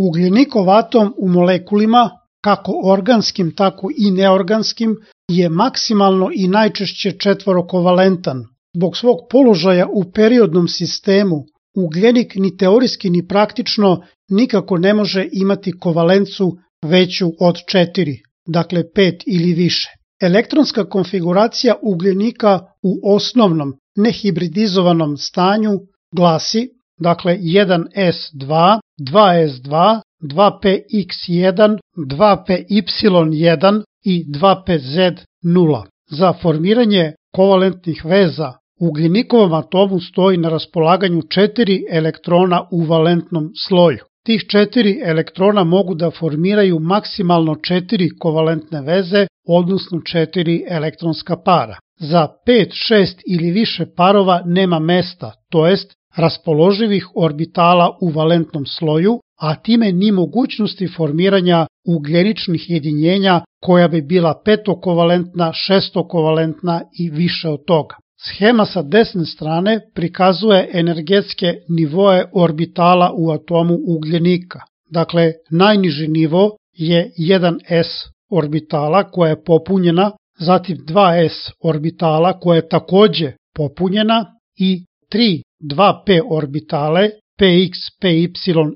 Ugljenikov atom u molekulima, kako organskim tako i neorganskim, je maksimalno i najčešće četvorokovalentan. Zbog svog položaja u periodnom sistemu, ugljenik ni teorijski ni praktično nikako ne može imati kovalencu veću od 4, dakle 5 ili više. Elektronska konfiguracija ugljenika u osnovnom nehibridizovanom stanju glasi, dakle 1s2, 2s2, 2px1, 2py1 i 2pz0. Za formiranje kovalentnih veza ugljenikovom atomu stoji na raspolaganju 4 elektrona u valentnom sloju. Tih 4 elektrona mogu da formiraju maksimalno 4 kovalentne veze, odnosno 4 elektronska para. Za 5, 6 ili više parova nema mesta, to jest raspoloživih orbitala u valentnom sloju, a time ni mogućnosti formiranja ugljeničnih jedinjenja koja bi bila petokovalentna, šestokovalentna i više od toga. Schema sa desne strane prikazuje energetske nivoe orbitala u atomu ugljenika. Dakle, najniži nivo je 1s orbitala koja je popunjena, zatim 2s orbitala koja je takođe popunjena i 3 2p orbitale px, py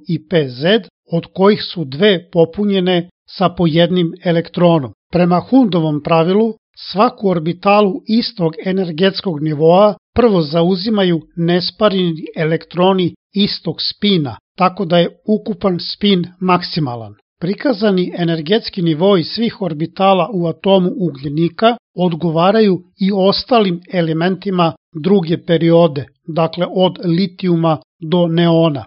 i pz, od kojih su dve popunjene sa po jednim elektronom. Prema Hundovom pravilu, svaku orbitalu istog energetskog nivoa prvo zauzimaju nespareni elektroni istog spina, tako da je ukupan spin maksimalan. Prikazani energetski nivoi svih orbitala u atomu ugljenika odgovaraju i ostalim elementima druge periode, dakle od litijuma do neona.